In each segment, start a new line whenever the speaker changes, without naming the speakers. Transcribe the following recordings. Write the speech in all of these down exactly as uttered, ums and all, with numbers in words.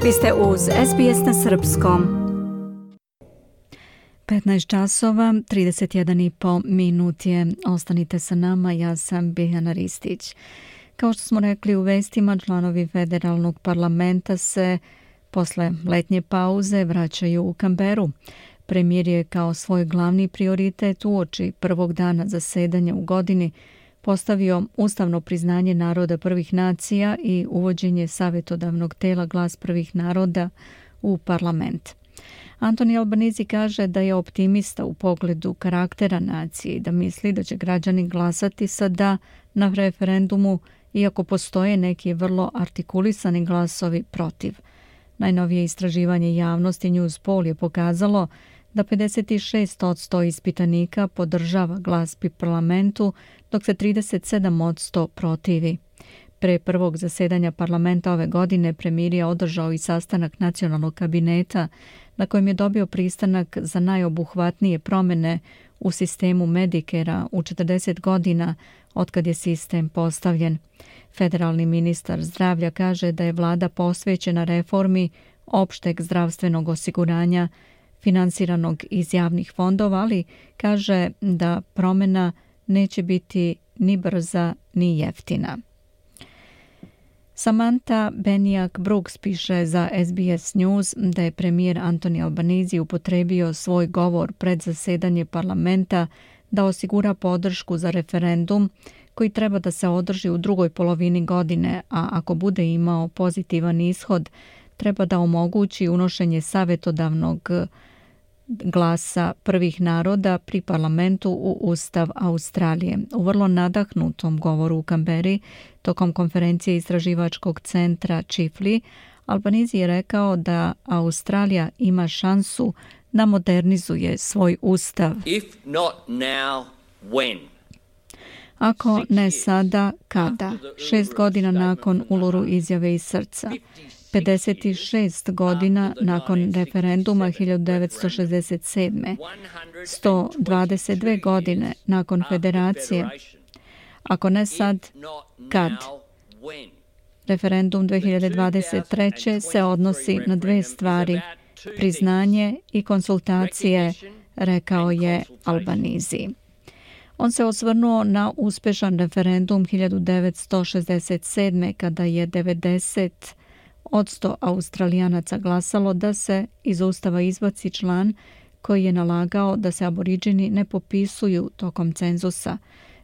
Vi ste uz S B S na srpskom. petnaest časova, trideset jedan i po minut je. Ostanite sa nama, ja sam Biljana Ristić. Kao što smo rekli u vestima, članovi federalnog parlamenta se posle letnje pauze vraćaju u Canberu. Premijer je kao svoj glavni prioritet uoči prvog dana zasedanja u godini postavio ustavno priznanje naroda prvih nacija i uvođenje savjetodavnog tela Glas prvih naroda u parlament. Anthony Albanese kaže da je optimista u pogledu karaktera nacije i da misli da će građani glasati sa da na referendumu, iako postoje neki vrlo artikulisani glasovi protiv. Najnovije istraživanje javnosti Newspoll je pokazalo da pedeset šest posto ispitanika podržava glas pri parlamentu, dok se trideset sedam posto protivi. Pre prvog zasedanja parlamenta ove godine premijer je održao i sastanak nacionalnog kabineta na kojem je dobio pristanak za najobuhvatnije promjene u sistemu Medicare-a u četrdeset godina otkad je sistem postavljen. Federalni ministar zdravlja kaže da je vlada posvećena reformi opšteg zdravstvenog osiguranja finansiranog iz javnih fondova, ali kaže da promjena neće biti ni brza ni jeftina. Samantha Beniak-Brooks piše za S B S News da je premijer Anthony Albanese upotrebio svoj govor pred zasedanje parlamenta da osigura podršku za referendum koji treba da se održi u drugoj polovini godine, a ako bude imao pozitivan ishod, treba da omogući unošenje savjetodavnog glasa prvih naroda pri parlamentu u Ustav Australije. U vrlo nadahnutom govoru u Canberri tokom konferencije istraživačkog centra Chifley, Albanese je rekao da Australija ima šansu da modernizuje svoj ustav.
If not now, when?
Ako ne sada, kada? Šest godina nakon Uluru izjave iz srca. pedeset šest godina nakon referenduma hiljadu devetsto šezdeset sedme. sto dvadeset dve godine nakon federacije. Ako ne sad, kad? Referendum dve hiljade dvadeset treće. se odnosi na dve stvari, priznanje i konsultacije, rekao je Albanese. On se osvrnuo na uspešan referendum hiljadu devetsto šezdeset sedme. kada je devedeset odsto Australijanaca glasalo da se iz ustava izbaci član koji je nalagao da se aboriđini ne popisuju tokom cenzusa.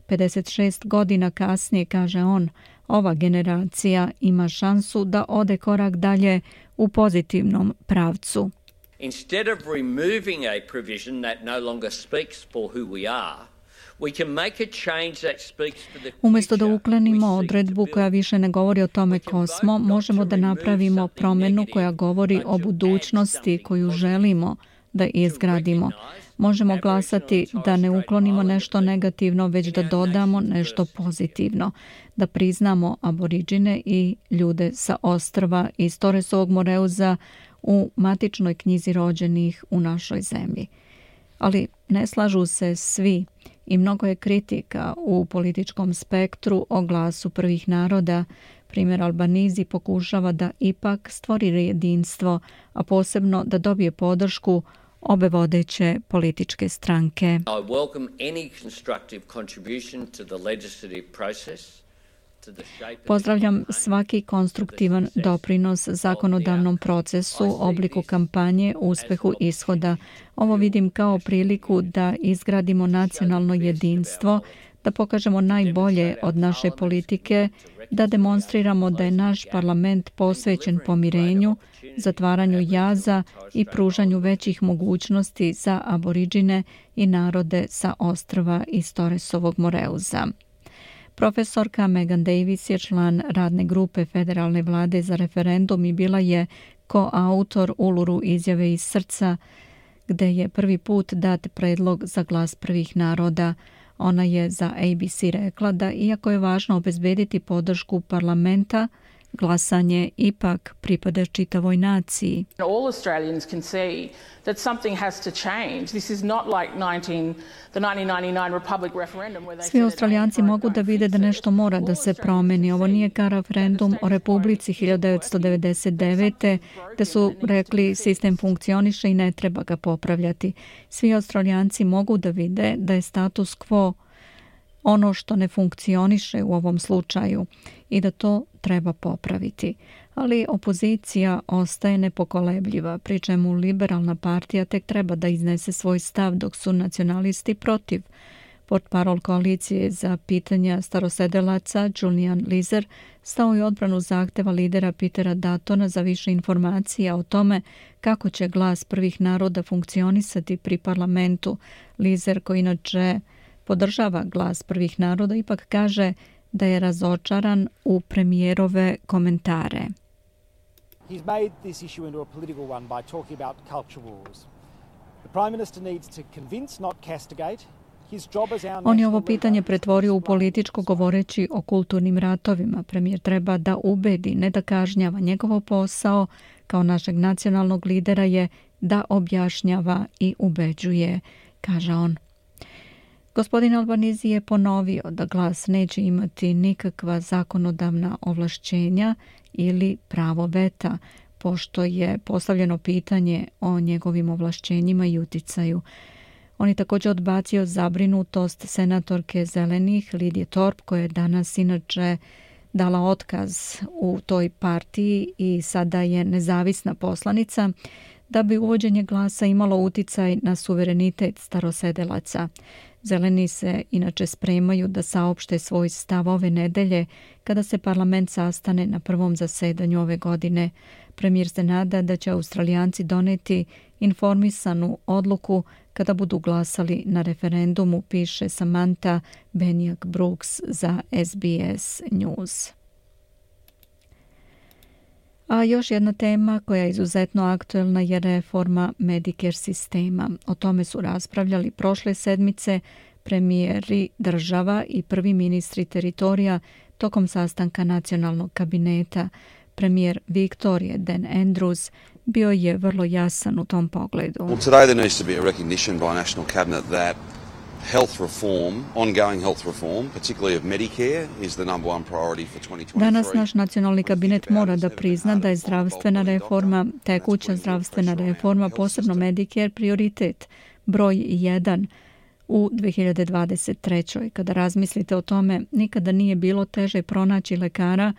pedeset šest godina kasnije, kaže on, ova generacija ima šansu da ode korak dalje u pozitivnom pravcu.
Instead of removing a provision that no longer speaks for who we are,
umjesto da uklanimo odredbu koja više ne govori o tome ko smo, možemo da napravimo promjenu koja govori o budućnosti koju želimo da izgradimo. Možemo glasati da ne uklonimo nešto negativno, već da dodamo nešto pozitivno, da priznamo aboriđine i ljude sa ostrva iz Torresovog Moreuza u matičnoj knjizi rođenih u našoj zemlji. Ali ne slažu se svi i mnogo je kritika u političkom spektru o glasu prvih naroda. Primjer, Albanese pokušava da ipak stvori jedinstvo, a posebno da dobije podršku obe vodeće političke stranke.
I welcome any constructive contribution to the legislative process.
Pozdravljam svaki konstruktivan doprinos zakonodavnom procesu, obliku kampanje, uspehu ishoda. Ovo vidim kao priliku da izgradimo nacionalno jedinstvo, da pokažemo najbolje od naše politike, da demonstriramo da je naš parlament posvećen pomirenju, zatvaranju jaza i pružanju većih mogućnosti za aboriđine i narode sa ostrva iz Torresovog Moreuza. Profesorka Megan Davis je član radne grupe federalne vlade za referendum i bila je koautor Uluru izjave iz srca, gde je prvi put dat predlog za glas prvih naroda. Ona je za A B C rekla da iako je važno obezbediti podršku parlamenta, glasanje ipak pripada čitavoj naciji.
All Australians can see that something has to change. This is not like nineteen the nineteen ninety-nine Republic referendum where they
Svi Australijanci mogu da vide da nešto mora da se promeni. Ovo nije kao referendum o Republici hiljadu devetsto devedeset devete. gde su rekli sistem funkcioniše i ne treba ga popravljati. Svi Australijanci mogu da vide da je status quo ono što ne funkcioniše u ovom slučaju i da to treba popraviti. Ali opozicija ostaje nepokolebljiva, pri čemu liberalna partija tek treba da iznese svoj stav dok su nacionalisti protiv. Portparol koalicije za pitanja starosedelaca Julian Lizer stao je odbranu zahteva lidera Petera Duttona za više informacija o tome kako će glas prvih naroda funkcionisati pri parlamentu. Lizer, koji inače podržava glas prvih naroda, ipak kaže da je razočaran u premijerove komentare.
He's made this issue into a political one by talking about culture wars. The Prime Minister needs to convince, not castigate. On je ovo pitanje pretvorio u političko govoreći o kulturnim ratovima. Premijer treba da ubedi, ne da kažnjava. Njegov posao kao našeg nacionalnog lidera je da objašnjava i ubeđuje, kaže on. Gospodin Albanese je ponovio da glas neće imati nikakva zakonodavna ovlašćenja ili pravo veta, pošto je postavljeno pitanje o njegovim ovlašćenjima i uticaju. On je također odbacio zabrinutost senatorke Zelenih Lidije Thorpe, koja je danas inače dala otkaz u toj partiji i sada je nezavisna poslanica, da bi uvođenje glasa imalo uticaj na suverenitet starosedelaca. Zeleni se inače spremaju da saopšte svoj stav ove nedelje kada se parlament sastane na prvom zasedanju ove godine. Premijer se nada da će Australijanci doneti informisanu odluku kada budu glasali na referendumu, piše Samantha Benjak-Brooks za S B S News. A još jedna tema koja je izuzetno aktuelna je reforma Medicare sistema. O tome su raspravljali prošle sedmice premijeri država i prvi ministri teritorija tokom sastanka nacionalnog kabineta. Premijer Viktorije Dan Andrews bio je vrlo jasan u tom pogledu.
Well, today there needs to be a recognition by National Cabinet that health reform, ongoing health reform, particularly of Medicare, is the number one priority for twenty twenty-three.
Danas naš nacionalni kabinet mora da prizna da je zdravstvena reforma, tekuća zdravstvena reforma, posebno Medicare, prioritet broj jedan u dve hiljade dvadeset trećoj. Kada razmislite o tome, nikada nije bilo teže pronaći lekara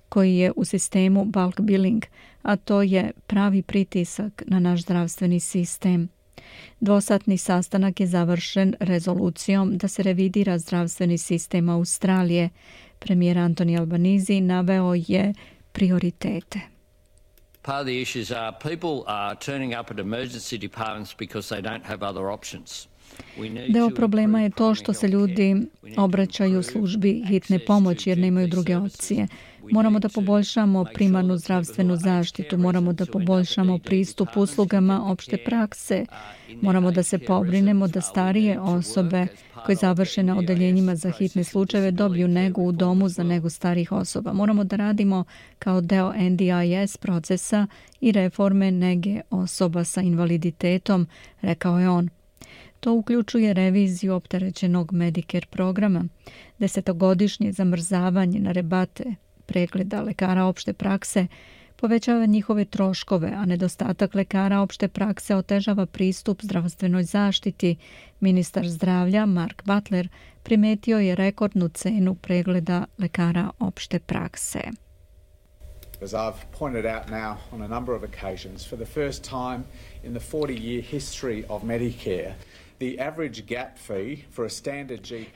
koji je u sistemu bulk billing, a to je pravi pritisak na naš zdravstveni sistem. Dvosatni sastanak je završen rezolucijom da se revidira zdravstveni sistem Australije. Premijer Anthony Albanese naveo je prioritete.
Part of the issues are people are turning up at emergency departments because they don't have other options.
Deo problema je to što se ljudi obraćaju službi hitne pomoći jer nemaju druge opcije. Moramo da poboljšamo primarnu zdravstvenu zaštitu, moramo da poboljšamo pristup uslugama opšte prakse, moramo da se pobrinemo da starije osobe koje završe na odeljenjima za hitne slučajeve dobiju negu u domu za negu starih osoba. Moramo da radimo kao deo N D I S procesa i reforme nege osoba sa invaliditetom, rekao je on. To uključuje reviziju opterećenog Medicare programa, desetogodišnje zamrzavanje na rebate pregleda lekara opšte prakse, povećava njihove troškove, a nedostatak lekara opšte prakse otežava pristup zdravstvenoj zaštiti. Ministar zdravlja Mark Butler primetio je rekordnu cenu pregleda lekara opšte prakse.
As I've pointed out now on a number of occasions, for the first time in the forty-year history of Medicare,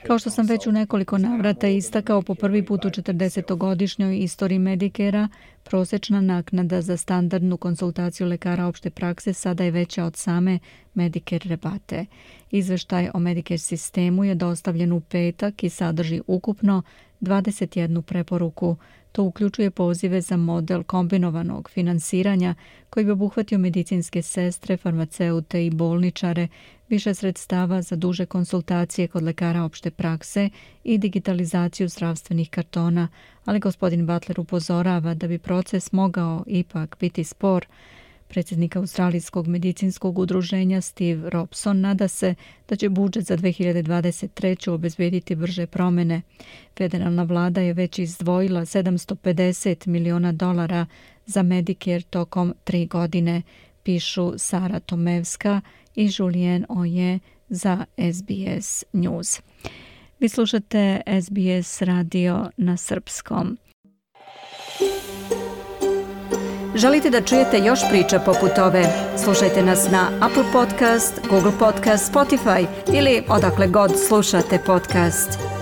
Kao što sam već u nekoliko navrata istakao, po prvi put u četrdesetogodišnjoj istoriji Medicare-a, prosječna naknada za standardnu konsultaciju lekara opšte prakse sada je veća od same Medicare rebate. Izveštaj o Medicare sistemu je dostavljen u petak i sadrži ukupno dvadeset jednu preporuku. To uključuje pozive za model kombinovanog finansiranja koji bi obuhvatio medicinske sestre, farmaceute i bolničare, više sredstava za duže konsultacije kod lekara opšte prakse i digitalizaciju zdravstvenih kartona, ali gospodin Butler upozorava da bi proces mogao ipak biti spor. Predsjednik Australijskog medicinskog udruženja Steve Robson nada se da će budžet za dve hiljade dvadeset treću obezbediti brže promjene. Federalna vlada je već izdvojila sedamsto pedeset miliona dolara za Medicare tokom tri godine, pišu Sara Tomevska i Julien Oje za S B S News. Vi slušate S B S radio na srpskom. Želite da čujete još priča poput ove? Slušajte nas na Apple Podcast, Google Podcast, Spotify ili odakle god slušate podcast.